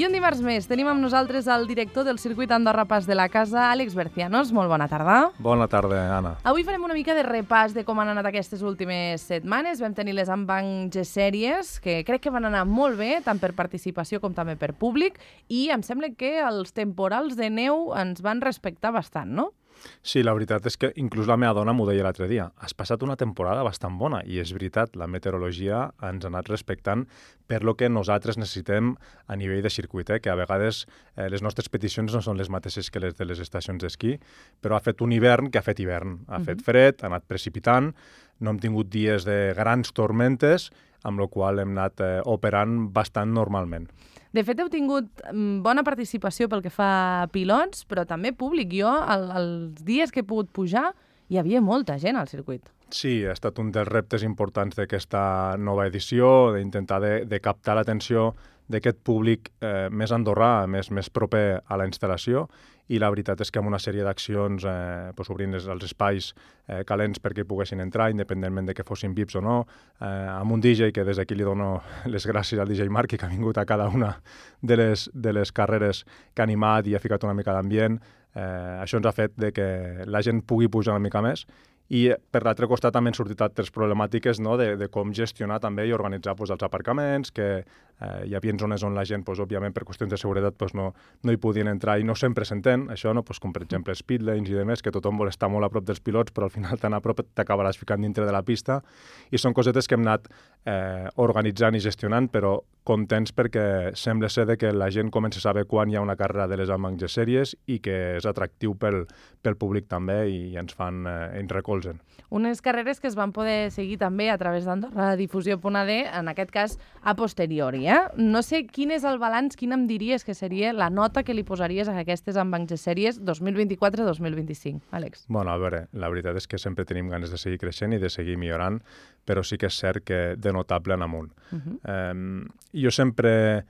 I un dimarts més tenim amb nosaltres el director del circuit Andorra Pas de la Casa, Àlex Bercianos. Molt bona tarda. Bona tarda, Anna. Avui farem una mica de repàs de com han anat aquestes últimes setmanes. Vam tenir les Ambanc G-Sèries, que crec que van anar molt bé, tant per participació com també per públic, i em sembla que els temporals de neu ens van respectar bastant, no? Sí, la veritat és que inclús la meva dona m'ho deia l'altre dia. Has passat una temporada bastant bona i és veritat, la meteorologia ens ha anat respectant per lo que nosaltres necessitem a nivell de circuit, que a vegades les nostres peticions no són les mateixes que les de les estacions d'esquí, però ha fet un hivern que ha fet hivern. Ha fet fred, ha anat precipitant, no hem tingut dies de grans tormentes, amb la qual hem anat operant bastant normalment. De fet, heu tingut bona participació pel que fa a pilots, però també públic. Jo, els dies que he pogut pujar, hi havia molta gent al circuit. Sí, ha estat un dels reptes importants d'aquesta nova edició, d'intentar de captar l'atenció d'aquest públic més andorrà, més proper a la instal·lació, i la veritat és que amb una sèrie d'accions obrint els espais calents perquè hi poguessin entrar, independentment de que fossin VIPs o no, amb un DJ que des d'aquí li dono les gràcies al DJ Marqui, que ha vingut a cada una de les carreres que ha animat i ha ficat una mica d'ambient. Això ens ha fet de que la gent pugui pujar una mica més. I per l'altre costat també han sortit altres problemàtiques, no? de com gestionar també i organitzar els aparcaments, que hi havia zones on la gent, òbviament, per qüestions de seguretat, no hi podien entrar i no sempre s'entén, això, no? Com per exemple speed lanes i demés, que tothom vol estar molt a prop dels pilots, però al final tan a prop t'acabaràs ficant dintre de la pista, i són cosetes que hem anat organitzant i gestionant, però contents perquè sembla ser que la gent comença a saber quan hi ha una carrera de les Ambanc G-Sèries i que és atractiu pel públic també i ens recolzen. Unes carreres que es van poder seguir també a través d'AndorraDifusió.d, en aquest cas a posteriori. No sé quin és el balanç, quina em diries que seria la nota que li posaries a aquestes Ambanc G-Sèries 2024-2025, Àlex? Bueno, a veure, la veritat és que sempre tenim ganes de seguir creixent i de seguir millorant, però sí que és cert que de notable en amunt. Jo sempre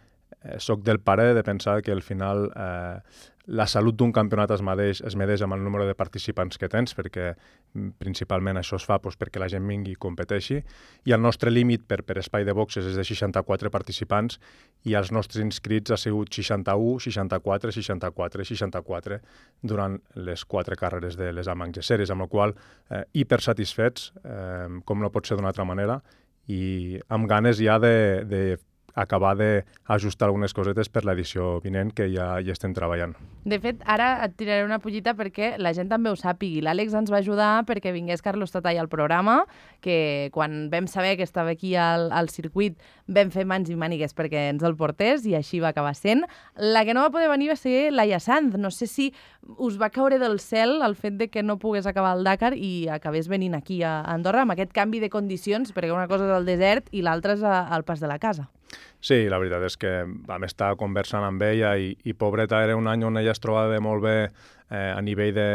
soc del parer de pensar que al final la salut d'un campionat es medeix amb el número de participants que tens, perquè principalment això es fa perquè la gent vingui i competeixi, i el nostre límit per espai de boxes és de 64 participants i els nostres inscrits ha sigut 61, 64, 64 i 64 durant les 4 carreres de les Ambanc G-Sèries, amb la qual hipersatisfets, com no pot ser d'una altra manera, i amb ganes ja acabar d'ajustar algunes cosetes per l'edició vinent, que ja hi estem treballant. De fet, ara et tiraré una pollita perquè la gent també ho sàpigui. L'Àlex ens va ajudar perquè vingués Carlos Tatall al programa, que quan vam saber que estava aquí al circuit vam fer mans i mànigues perquè ens el portés i així va acabar sent. La que no va poder venir va ser Laia Sanz. No sé si us va caure del cel el fet de que no pogués acabar el Dakar i acabés venint aquí a Andorra amb aquest canvi de condicions, perquè una cosa és el desert i l'altra és al Pas de la Casa. Sí, la veritat és que vam estar conversant amb ella i pobreta, era un any on ella es trobava molt bé a nivell de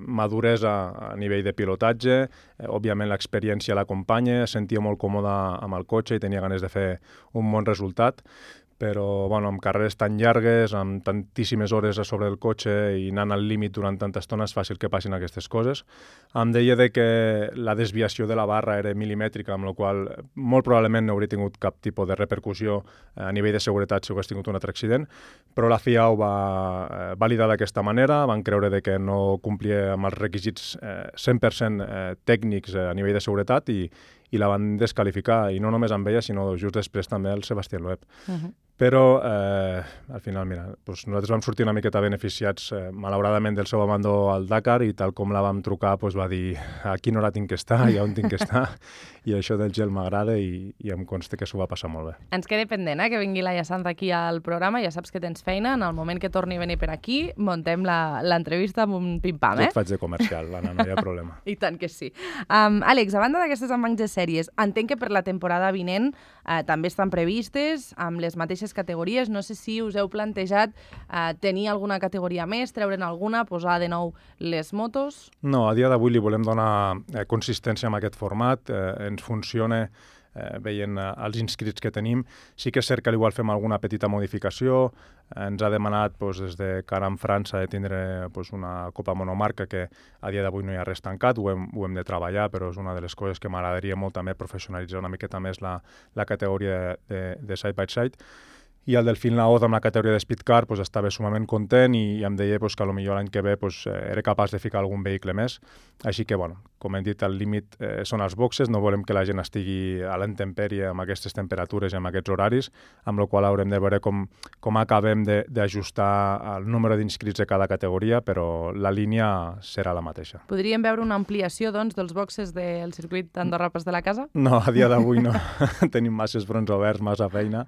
maduresa, a nivell de pilotatge. Òbviament l'experiència l'acompanya, es sentia molt còmoda amb el cotxe i tenia ganes de fer un bon resultat, però amb carreres tan llargues, amb tantíssimes hores a sobre el cotxe i anant al límit durant tanta estona és fàcil que passin aquestes coses. Em deia que la desviació de la barra era milimètrica, amb la qual molt probablement no hauria tingut cap tipus de repercussió a nivell de seguretat si hagués tingut un altre accident, però la FIA ho va validar d'aquesta manera, van creure que no complia amb els requisits 100% tècnics a nivell de seguretat i la van descalificar, i no només amb ella, sinó just després també el Sebastián Loeb. Però, al final, mira, nosaltres vam sortir una miqueta beneficiats, malauradament, del seu abandó al Dakar, i tal com la vam trucar, va dir a quina hora tinc que estar i on tinc que estar, i això del gel m'agrada i em consta que s'ho va passar molt bé. Ens queda pendent, que vingui Laia Sanz aquí al programa, ja saps que tens feina, en el moment que torni a venir per aquí, muntem l'entrevista amb un pim-pam, Jo et faig de comercial, Anna, no hi ha problema. I tant que sí. Àlex, a banda d'aquestes Ambanc G-Sèries, entenc que per la temporada vinent també estan previstes amb les mateixes categories. No sé si us heu plantejat tenir alguna categoria més, treure'n alguna, posar de nou les motos? No, a dia d'avui li volem donar consistència amb aquest format. Ens funciona veient els inscrits que tenim. Sí que és cert que igual fem alguna petita modificació. Ens ha demanat des de cara a França de tindre una copa monomarca que a dia d'avui no hi ha res tancat, ho hem de treballar, però és una de les coses que m'agradaria molt també professionalitzar una miqueta més la categoria de side by side. i el Delfín Laoz amb la categoria de Speedcar estava sumament content i em deia que potser l'any que ve era capaç de ficar algun vehicle més. Així que, com hem dit, el límit són els boxes, no volem que la gent estigui a l'intempèrie amb aquestes temperatures i amb aquests horaris, amb la qual haurem de veure com acabem d'ajustar el número d'inscrits de cada categoria, però la línia serà la mateixa. Podríem veure una ampliació, doncs, dels boxes del circuit Andorra-Pas de la Casa? No, a dia d'avui no. Tenim masses fronts oberts, massa feina,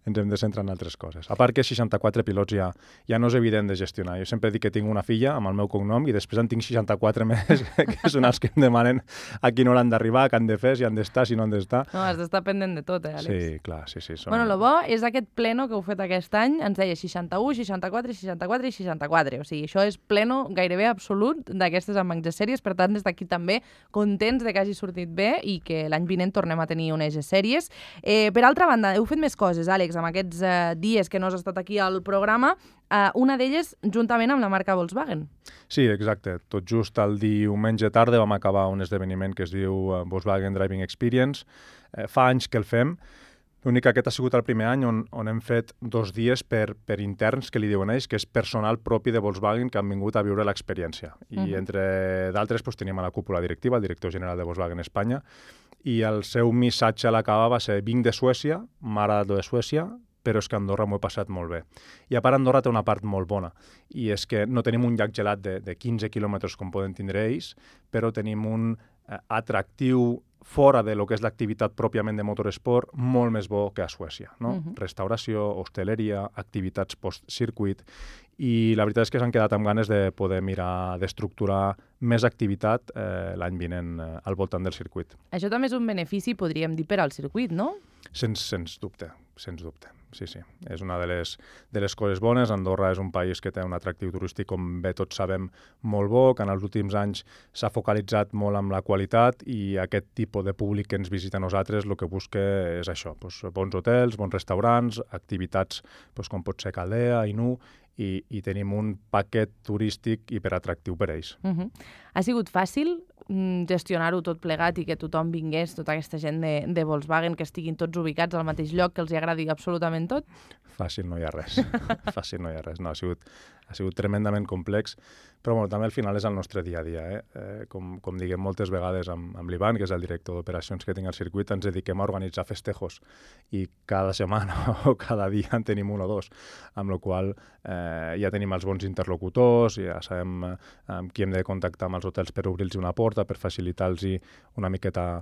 ens hem de centrar en altres coses. A part que 64 pilots ja no és evident de gestionar. Jo sempre dic que tinc una filla amb el meu cognom i després en tinc 64 més, que són els que em demanen a quina hora han d'arribar, què han de fer, si han d'estar, si no han d'estar. No, has d'estar pendent de tot, Àlex? Sí, clar, sí. Bueno, el bo és aquest pleno que heu fet aquest any, ens deia 61, 64, 64 i 64. O sigui, això és pleno gairebé absolut d'aquestes G sèries, per tant, des d'aquí també contents de que hagi sortit bé i que l'any vinent tornem a tenir unes G sèries. Per altra banda, heu fet més coses, Àlex, amb aquests dies que no has estat aquí al programa, una d'elles juntament amb la marca Volkswagen. Sí, exacte. Tot just el diumenge tarda vam acabar un esdeveniment que es diu Volkswagen Driving Experience. Fa anys que el fem. L'únic que aquest ha sigut el primer any on hem fet 2 dies per interns, que li diuen ells, que és personal propi de Volkswagen que han vingut a viure l'experiència. I entre d'altres teníem a la cúpula directiva, el director general de Volkswagen Espanya, i el seu missatge a l'acabar va ser: vinc de Suècia, m'ha agradat lo de Suècia, però és que a Andorra m'ho he passat molt bé. I a part, Andorra té una part molt bona, i és que no tenim un llac gelat de 15 quilòmetres com poden tindre ells, però tenim un atractiu fora de lo que és l'activitat pròpiament de motoresport molt més bo que a Suècia, no? Restauració, hostaleria, activitats post-circuit, i la veritat és que s'han quedat amb ganes de poder mirar d'estructurar més activitat l'any vinent al voltant del circuit. Això també és un benefici, podríem dir, per al circuit, no? Sens dubte. Sí. És una de les coses bones. Andorra és un país que té un atractiu turístic, com bé tots sabem, molt bo, que en els últims anys s'ha focalitzat molt amb la qualitat, i aquest tipus de públic que ens visita a nosaltres el que busca és això, bons hotels, bons restaurants, activitats com pot ser Caldea, Inú, i tenim un paquet turístic hiperatractiu per ells. Ha sigut fàcil gestionar-ho tot plegat i que tothom vingués, tota aquesta gent de Volkswagen, que estiguin tots ubicats al mateix lloc, que els agradi absolutament tot? Fàcil no hi ha res. No, ha sigut tremendament complex, però també al final és el nostre dia a dia. Com diguem moltes vegades amb l'Ivan, que és el director d'operacions que tinc al circuit, ens dediquem a organitzar festejos, i cada setmana o cada dia en tenim un o dos, amb la qual ja tenim els bons interlocutors, ja sabem amb qui hem de contactar amb els hotels per obrir-los una porta, per facilitar-los una miqueta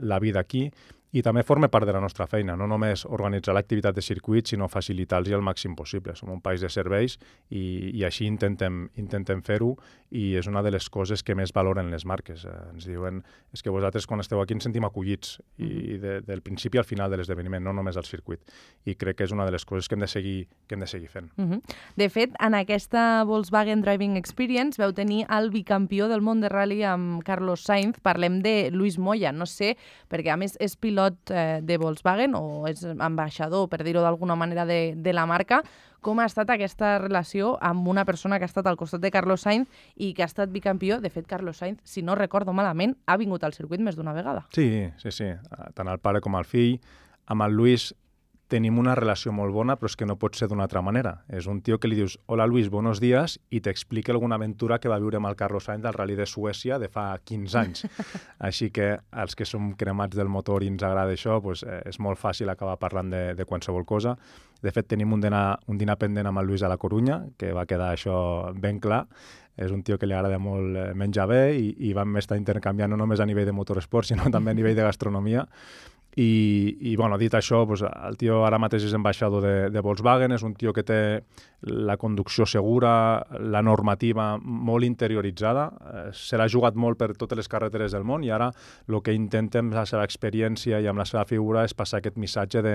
la vida aquí, i també forma part de la nostra feina, no només organitzar l'activitat de circuit, sinó facilitar-los el màxim possible. Som un país de serveis i així intentem fer-ho, i és una de les coses que més valoren les marques. Ens diuen, és que vosaltres quan esteu aquí ens sentim acollits, i del principi al final de l'esdeveniment, no només al circuit. I crec que és una de les coses que hem de seguir fent. De fet, en aquesta Volkswagen Driving Experience veu tenir el bicampió del món de rally amb Carlos Sainz. Parlem de Luis Moya. No sé, perquè a més és pilot de Volkswagen, o és ambaixador, per dir-ho d'alguna manera, de la marca. Com ha estat aquesta relació amb una persona que ha estat al costat de Carlos Sainz i que ha estat bicampió? De fet, Carlos Sainz, si no recordo malament, ha vingut al circuit més d'una vegada. Sí. Tant el pare com el fill. Amb el Luis tenim una relació molt bona, però és que no pot ser d'una altra manera. És un tio que li dius: hola Luis, buenos días, i t'explica alguna aventura que va viure amb el Carlos Sainz al Rally de Suècia de fa 15 anys. Així que els que som cremats del motor i ens agrada això, és molt fàcil acabar parlant de qualsevol cosa. De fet, tenim un dinar pendent amb el Luis a la Corunya, que va quedar això ben clar. És un tio que li agrada molt menjar bé, i vam estar intercanviant no només a nivell de motoresport, sinó també a nivell de gastronomia. I dit això, el tio ara mateix és ambaixador de Volkswagen, és un tio que té la conducció segura, la normativa molt interioritzada, se l'ha jugat molt per totes les carreteres del món, i ara el que intenta amb la seva experiència i amb la seva figura és passar aquest missatge de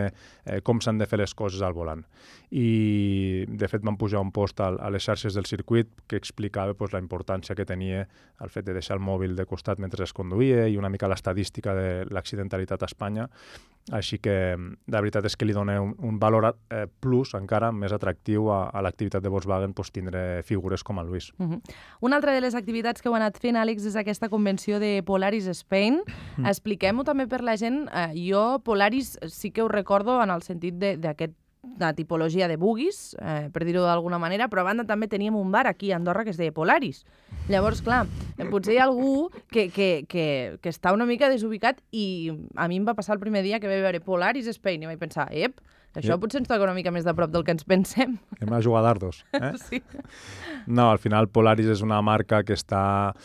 com s'han de fer les coses al volant. I, de fet, vam pujar un post a les xarxes del circuit que explicava la importància que tenia el fet de deixar el mòbil de costat mentre es conduïa, i una mica l'estadística de l'accidentalitat a Espanya. Així que la veritat és que li dona un valor plus encara més atractiu a l'activitat de Volkswagen tindre figures com el Luis. Una altra de les activitats que heu anat fent, Àlex, és aquesta convenció de Polaris Spain. Expliquem-ho també per la gent. Jo Polaris sí que ho recordo en el sentit d'aquest una tipologia de buggies, per dir-ho d'alguna manera, però a banda també teníem un bar aquí a Andorra que es deia Polaris. Llavors, clar, potser hi ha algú que està una mica desubicat i a mi em va passar el primer dia que vaig veure Polaris Spain i vaig pensar, això potser ens toca una mica més de prop del que ens pensem. Hem a jugar dardos, Sí. No, al final Polaris és una marca que està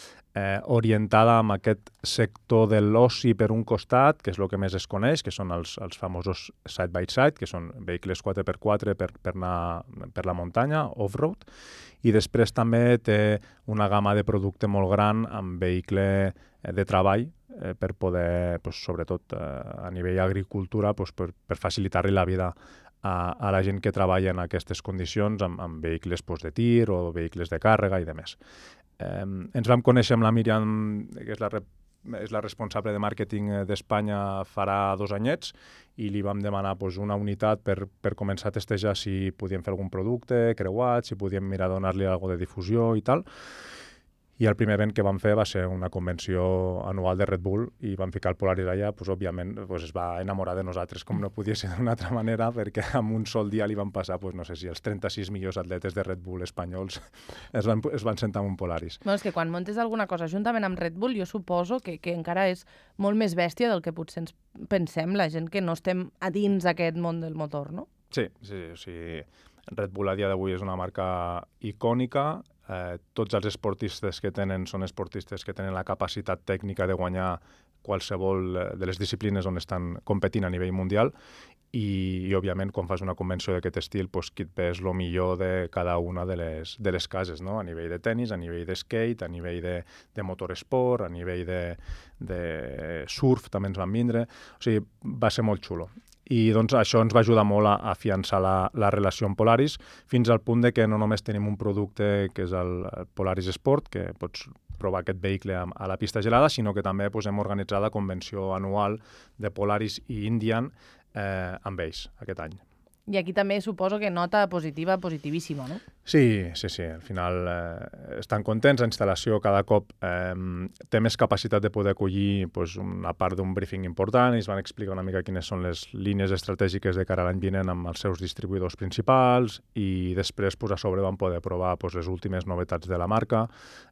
orientada amb aquest sector de l'oci per un costat, que és el que més es coneix, que són els famosos side-by-side, que són vehicles 4x4 per anar per la muntanya, off-road, i després també té una gamma de producte molt gran amb vehicle de treball per poder, sobretot a nivell agricultura, per facilitar-li la vida a la gent que treballa en aquestes condicions amb vehicles de tir o vehicles de càrrega i demés. Ens vam conèixer amb la Míriam, que és la responsable de màrqueting d'Espanya farà 2 anyets, i li vam demanar una unitat per començar a testejar si podíem fer algun producte creuat, si podíem mirar de donar-li alguna de difusió i tal. I el primer event que vam fer va ser una convenció anual de Red Bull i vam ficar el Polaris allà, òbviament es va enamorar de nosaltres com no podia ser d'una altra manera, perquè en un sol dia li van passar, no sé si els 36 millors atletes de Red Bull espanyols es van sentar en un Polaris. És que quan muntes alguna cosa juntament amb Red Bull, jo suposo que encara és molt més bèstia del que potser ens pensem, la gent que no estem a dins aquest món del motor, no? Sí, o sigui, Red Bull a dia d'avui és una marca icònica. Tots els esportistes que tenen són esportistes que tenen la capacitat tècnica de guanyar qualsevol de les disciplines on estan competint a nivell mundial i òbviament, quan fas una convenció d'aquest estil, qui et ves el millor de cada una de les cases, no? A nivell de tennis, a nivell de skate, a nivell de motoresport, a nivell de surf també ens van vindre. O sigui, va ser molt xulo. I doncs això ens va ajudar molt a afiançar la relació amb Polaris, fins al punt de que no només tenim un producte que és el Polaris Sport, que pots provar aquest vehicle a la pista gelada, sinó que també hem organitzat la convenció anual de Polaris i Indian amb ells aquest any. I aquí també suposo que nota positiva, positivíssima, no? Sí. Al final estan contents. La instal·lació cada cop té més capacitat de poder acollir una part d'un briefing important. Ells van explicar una mica quines són les línies estratègiques de cara a l'any vinent amb els seus distribuïdors principals i després a sobre van poder provar les últimes novetats de la marca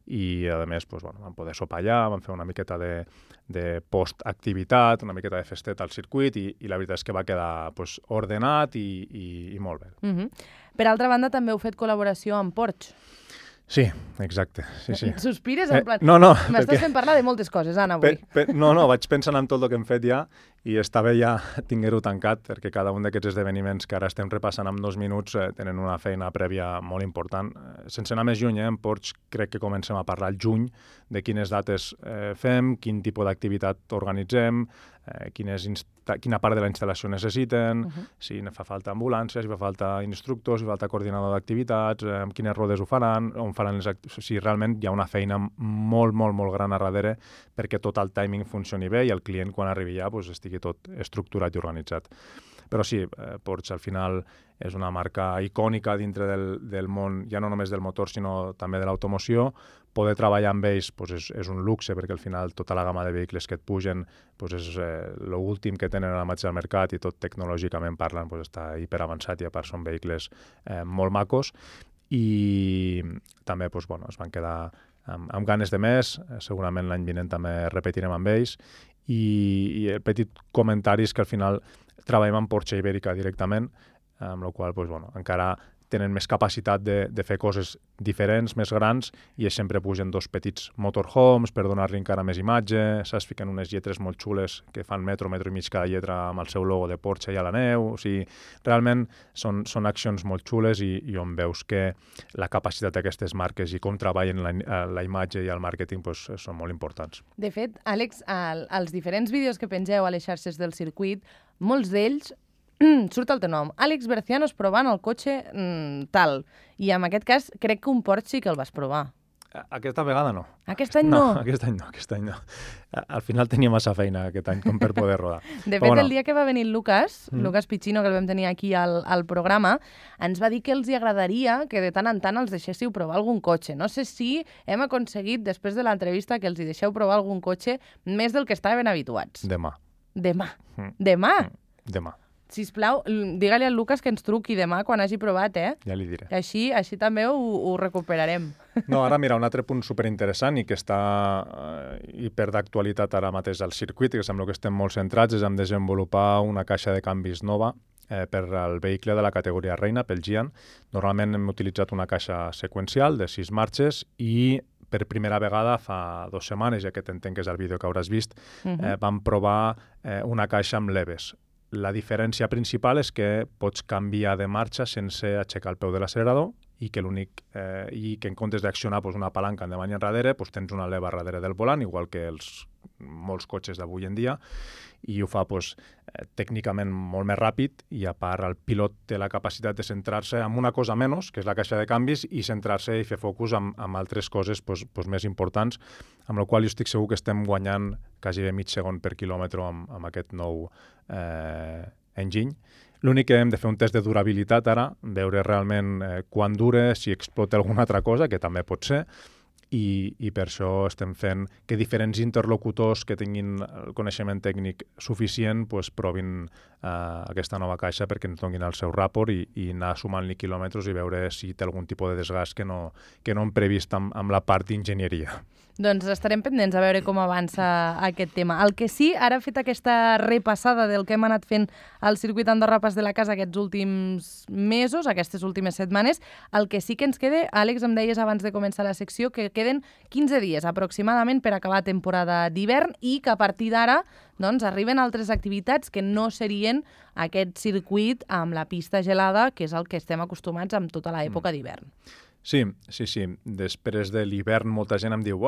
i a més van poder sopar allà, van fer una miqueta de post-activitat, una miqueta de festet al circuit i la veritat és que va quedar ordenat i molt bé. Per altra banda, també heu fet col·laboració amb Porsche. Sí, exacte. Sí. Sospires en plan... No, m'estàs fent parlar de moltes coses, Anna, avui. No, vaig pensant en tot el que hem fet ja i està bé ja tinguer-ho tancat, perquè cada un d'aquests esdeveniments que ara estem repassant en 2 minuts tenen una feina prèvia molt important. Sense anar més lluny, en Porsche crec que comencem a parlar al juny de quines dates fem, quin tipus d'activitat organitzem, quina part de la instal·lació necessiten, si fa falta ambulància, si fa falta instructors, si fa falta coordinador d'activitats, amb quines rodes ho faran, on faran les activitats. O sigui, realment hi ha una feina molt, molt, molt gran a darrere perquè tot el timing funcioni bé i el client, quan arribi ja, estigui tot estructurat i organitzat. Però sí, Porsche al final és una marca icònica dintre del món, ja no només del motor, sinó també de l'automoció. Poder treballar amb ells és un luxe, perquè al final tota la gamma de vehicles que et pugen és l'últim que tenen ara mateix al mercat i tot tecnològicament parlant està hiperavançat i a part són vehicles molt macos. I també es van quedar amb ganes de més, segurament l'any vinent també repetirem amb ells. I el petit comentari és que al final treballem amb Porsche Ibèrica directament, amb la qual encara tenen més capacitat de fer coses diferents, més grans, i sempre pugen 2 petits motorhomes per donar-li encara més imatge, saps? Fiquen unes lletres molt xules que fan metro i mig cada lletra amb el seu logo de Porsche i a la neu. O sigui, realment són accions molt xules i on veus que la capacitat d'aquestes marques i com treballen la imatge i el màrqueting són molt importants. De fet, Àlex, als diferents vídeos que pengeu a les xarxes del circuit, molts d'ells surt el teu nom, Àlex Bercianos provant el cotxe tal. I en aquest cas crec que un Porsche sí que el vas provar. Aquesta vegada no. Aquest any no? Aquest any no. Al final tenia massa feina aquest any com per poder rodar. De fet, el dia que va venir el Lucas Piccino, que el vam tenir aquí al programa, ens va dir que els agradaria que de tant en tant els deixéssiu provar algun cotxe. No sé si hem aconseguit, després de l'entrevista, que els hi deixeu provar algun cotxe més del que estaven habituats. Demà. Demà? Demà. Sisplau, digue-li al Lucas que ens truqui demà quan hagi provat, Ja li diré. Així també ho recuperarem. No, ara mira, un altre punt superinteressant i que està hiper d'actualitat ara mateix al circuit, que sembla que estem molt centrats, és en desenvolupar una caixa de canvis nova per al vehicle de la categoria Reina, pel Gian. Normalment hem utilitzat una caixa seqüencial de 6 marxes i per primera vegada fa 2 setmanes, ja que t'entenc que és el vídeo que hauràs vist, vam provar una caixa amb leves. La diferència principal és que pots canviar de marxa sense aixecar el peu de l'accelerador i que en comptes d'accionar una palanca endavant i enrere, tens una leva darrere del volant, igual que molts cotxes d'avui en dia, i ho fa tècnicament molt més ràpid, i a part el pilot té la capacitat de centrar-se en una cosa menys, que és la caixa de canvis, i centrar-se i fer focus amb altres coses més importants, amb la qual jo estic segur que estem guanyant quasi mig segon per quilòmetre amb aquest nou enginy. L'únic que hem de fer un test de durabilitat ara, veure realment quan dura, si explota alguna altra cosa, que també pot ser, i per això estem fent que diferents interlocutors que tinguin el coneixement tècnic suficient provin aquesta nova caixa perquè ens donin el seu ràport i anar sumant-li quilòmetres i veure si té algun tipus de desgast que no hem previst amb la part d'enginyeria. Doncs estarem pendents a veure com avança aquest tema. El que sí, ara fet aquesta repassada del que hem anat fent al circuit Andorra Pas de la Casa aquests últims mesos, aquestes últimes setmanes, el que sí que ens queda, Àlex, em deies abans de començar la secció, que queden 15 dies aproximadament per acabar temporada d'hivern i que a partir d'ara arriben altres activitats que no serien aquest circuit amb la pista gelada, que és el que estem acostumats amb tota l'època d'hivern. Sí. Després de l'hivern molta gent em diu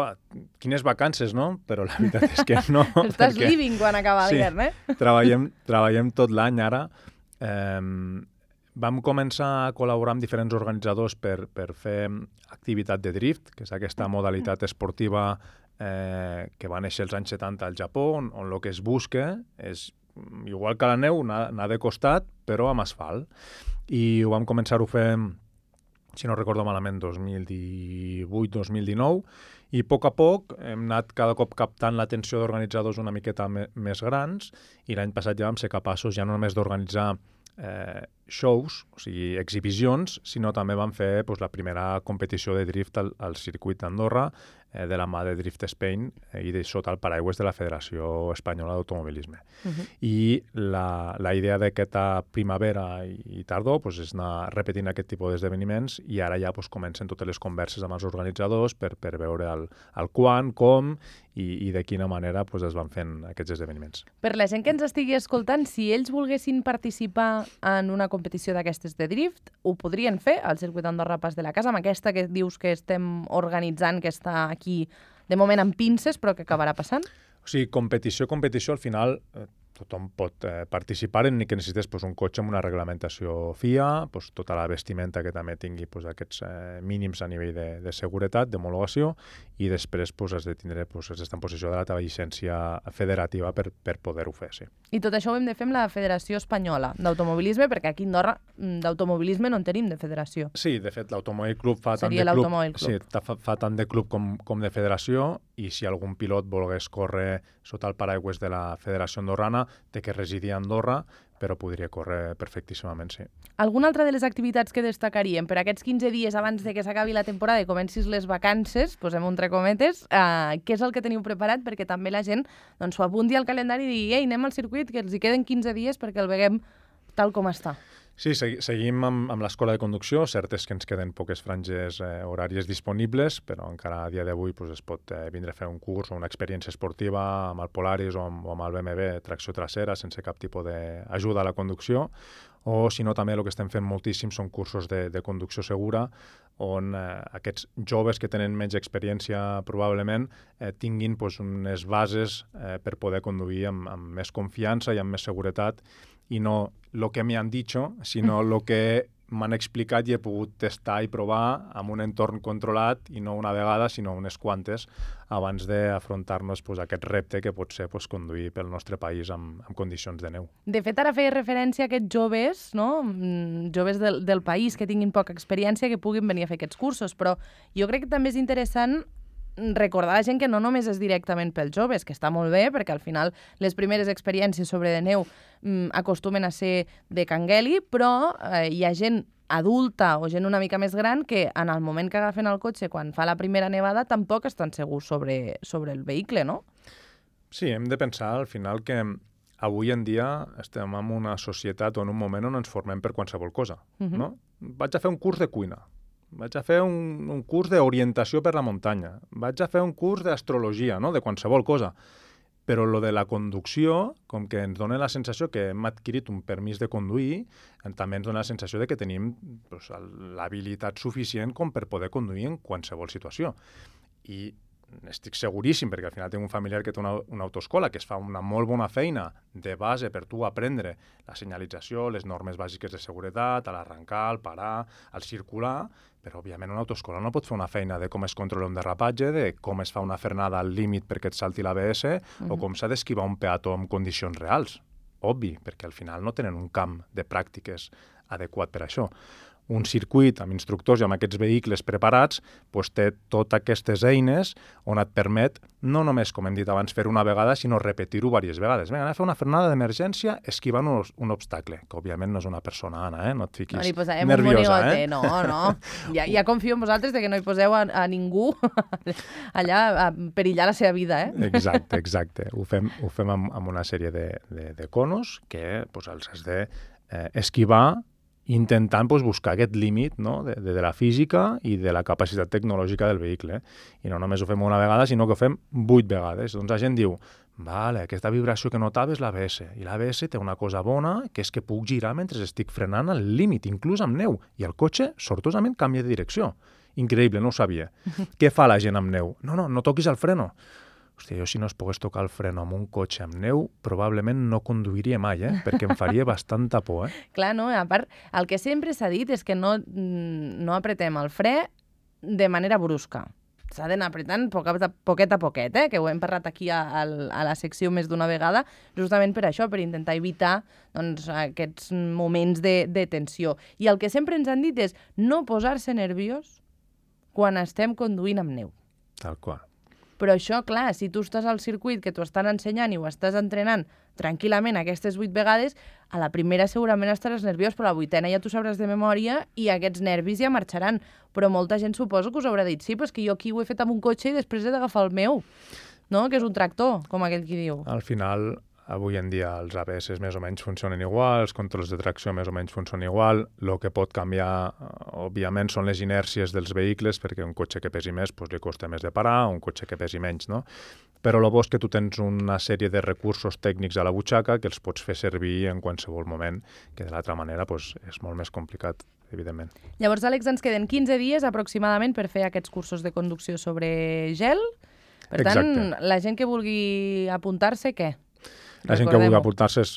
quines vacances, no? Però la veritat és que no. Estàs living quan acaba l'hivern, Treballem tot l'any ara. Vam començar a col·laborar amb diferents organitzadors per fer activitat de drift, que és aquesta modalitat esportiva que va néixer als anys 70 al Japó, on el que es busca és, igual que la neu, anar de costat, però amb asfalt. I ho vam començar a fer, si no recordo malament, 2018-2019, i a poc hem anat cada cop captant l'atenció d'organitzadors una miqueta més grans, i l'any passat ja vam ser capaços ja no només d'organitzar shows, o sigui, exhibicions, sinó també vam fer la primera competició de drift al circuit d'Andorra de la mà de Drift Spain i sota el paraigües de la Federació Espanyola d'Automobilisme. I la idea d'aquesta primavera i tardor és anar repetint aquest tipus d'esdeveniments, i ara ja comencen totes les converses amb els organitzadors per veure el quan, com i de quina manera es van fent aquests esdeveniments. Per la gent que ens estigui escoltant, si ells volguessin participar en una competició d'aquestes de drift, ho podrien fer al circuit Andorra Pas de la Casa, amb aquesta que dius que estem organitzant, que està aquí de moment amb pinces, però que acabarà passant? O sigui, competició, al final tothom pot participar, ni que necessites un cotxe amb una reglamentació FIA, tota la vestimenta que també tingui aquests mínims a nivell de seguretat, d'homologació, i després has de tindre d'estar en possessió de la teva llicència federativa per poder-ho fer, sí. I tot això ho hem de fer amb la Federació Espanyola d'Automobilisme, perquè aquí a Andorra d'automobilisme no en tenim de federació. Sí, de fet, l'Automòbil Club fa tant de club com de federació, i si algun pilot volgués córrer sota el paraigües de la Federació Andorrana, té que residir a Andorra, però podria córrer perfectíssimament, sí. Alguna altra de les activitats que destacaríem per aquests 15 dies abans de que s'acabi la temporada i comencis les vacances, posem entre cometes, què és el que teniu preparat perquè també la gent s'ho apunti al calendari i digui anem al circuit, que els hi queden 15 dies perquè el veguem tal com està? Sí, seguim amb l'escola de conducció. Cert és que ens queden poques franges horàries disponibles, però encara a dia d'avui es pot vindre a fer un curs o una experiència esportiva amb el Polaris o amb el BMW tracció trasera sense cap tipus d'ajuda a la conducció. O, si no, també el que estem fent moltíssim són cursos de conducció segura, on aquests joves que tenen menys experiència probablement tinguin unes bases per poder conduir amb més confiança i amb més seguretat, i no el que m'han dit, sinó el que m'han explicat i he pogut testar i provar amb un entorn controlat, i no una vegada, sinó unes quantes, abans d'afrontar-nos aquest repte que pot ser conduir pel nostre país amb condicions de neu. De fet, ara feia referència a aquests joves, joves del país que tinguin poca experiència, que puguin venir a fer aquests cursos, però jo crec que també és interessant recordar a la gent que no només és directament pels joves, que està molt bé, perquè al final les primeres experiències sobre de neu acostumen a ser de cangueli, però hi ha gent adulta o gent una mica més gran que en el moment que agafen el cotxe quan fa la primera nevada tampoc estan segurs sobre el vehicle, no? Sí, hem de pensar al final que avui en dia estem en una societat o en un moment on ens formem per qualsevol cosa, no? Vaig a fer un curs de cuina, vaig a fer un curs d'orientació per la muntanya, vaig a fer un curs d'astrologia, no? De qualsevol cosa. Però lo de la conducció, com que ens dona la sensació que hem adquirit un permís de conduir, també ens dona la sensació de que tenim doncs, l'habilitat suficient com per poder conduir en qualsevol situació. I estic seguríssim, perquè al final tinc un familiar que té una autoescola que es fa una molt bona feina de base per tu aprendre la senyalització, les normes bàsiques de seguretat, a l'arrencar, al parar, al circular, però òbviament una autoescola no pot fer una feina de com es controla un derrapatge, de com es fa una frenada al límit perquè et salti l'ABS o com s'ha d'esquivar un peató en condicions reals. Obvi, perquè al final no tenen un camp de pràctiques adequat per això. Un circuit amb instructors i amb aquests vehicles preparats doncs té totes aquestes eines on et permet no només, com hem dit abans, fer una vegada, sinó repetir-ho diverses vegades. Vinga, anem a fer una frenada d'emergència esquivant un obstacle, que òbviament no és una persona, Anna, no et fiquis no li posem nerviosa. Un monigote, no. Ja confio en vosaltres de que no hi poseu a ningú allà a perillar la seva vida, Exacte. Ho fem amb una sèrie de conos que doncs, els has d'esquivar intentant buscar aquest límit, no? de la física i de la capacitat tecnològica del vehicle. I no només ho fem una vegada, sinó que ho fem 8 vegades. Doncs la gent diu, vale, aquesta vibració que notava és l'ABS, i l'ABS té una cosa bona, que és que puc girar mentre estic frenant al límit, inclús amb neu, i el cotxe sortosament canvia de direcció. Increïble, no ho sabia. Què fa la gent amb neu? No toquis el freno. Hòstia, jo si no es pogués tocar el freno amb un cotxe amb neu, probablement no conduiria mai, perquè em faria bastanta por. Clar, no? A part, el que sempre s'ha dit és que no apretem el fre de manera brusca. S'ha d'anar apretant poquet a poquet, que ho hem parlat aquí a la secció més d'una vegada, justament per això, per intentar evitar doncs, aquests moments de tensió. I el que sempre ens han dit és no posar-se nerviós quan estem conduint amb neu. Tal qual. Però això, clar, si tu estàs al circuit que t'ho estan ensenyant i ho estàs entrenant tranquil·lament aquestes 8 vegades, a la primera segurament estaràs nerviós, però a la 8ena ja t'ho sabràs de memòria i aquests nervis ja marxaran. Però molta gent suposo que us haurà dit, sí, però és que jo aquí ho he fet amb un cotxe i després he d'agafar el meu, no? Que és un tractor, com aquell qui diu. Al final, avui en dia els ABS més o menys funcionen igual, els controls de tracció més o menys funcionen igual. El que pot canviar, òbviament, són les inèrcies dels vehicles, perquè un cotxe que pesi més li costa més de parar, un cotxe que pesi menys, no? Però el bo és que tu tens una sèrie de recursos tècnics a la butxaca que els pots fer servir en qualsevol moment, que de l'altra manera és molt més complicat, evidentment. Llavors, Àlex, ens queden 15 dies aproximadament per fer aquests cursos de conducció sobre gel. Per tant, la gent que vulgui apuntar-se, què? La gent que vulgui apuntar-se és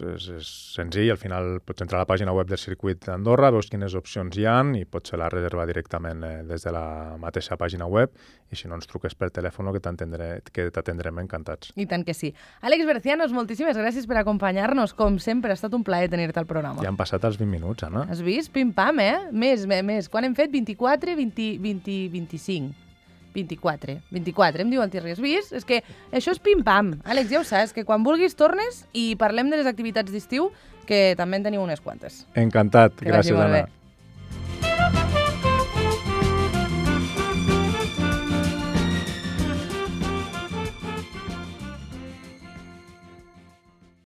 senzill, al final pots entrar a la pàgina web del circuit d'Andorra, veus quines opcions hi ha i pots fer la reserva directament des de la mateixa pàgina web i si no ens truques per telèfon que t'atendrem encantats. I tant que sí. Àlex Bercianos, moltíssimes gràcies per acompanyar-nos. Com sempre, ha estat un plaer tenir-te al programa. Ja han passat els 20 minuts, Anna. Has vist? Pim-pam, Més. Quan hem fet? 24, 20, 25. 24, em diu el Thierry. Has vist? És que això és pim-pam. Àlex, ja ho saps, que quan vulguis tornes i parlem de les activitats d'estiu, que també en teniu unes quantes. Encantat. Gràcies, Anna.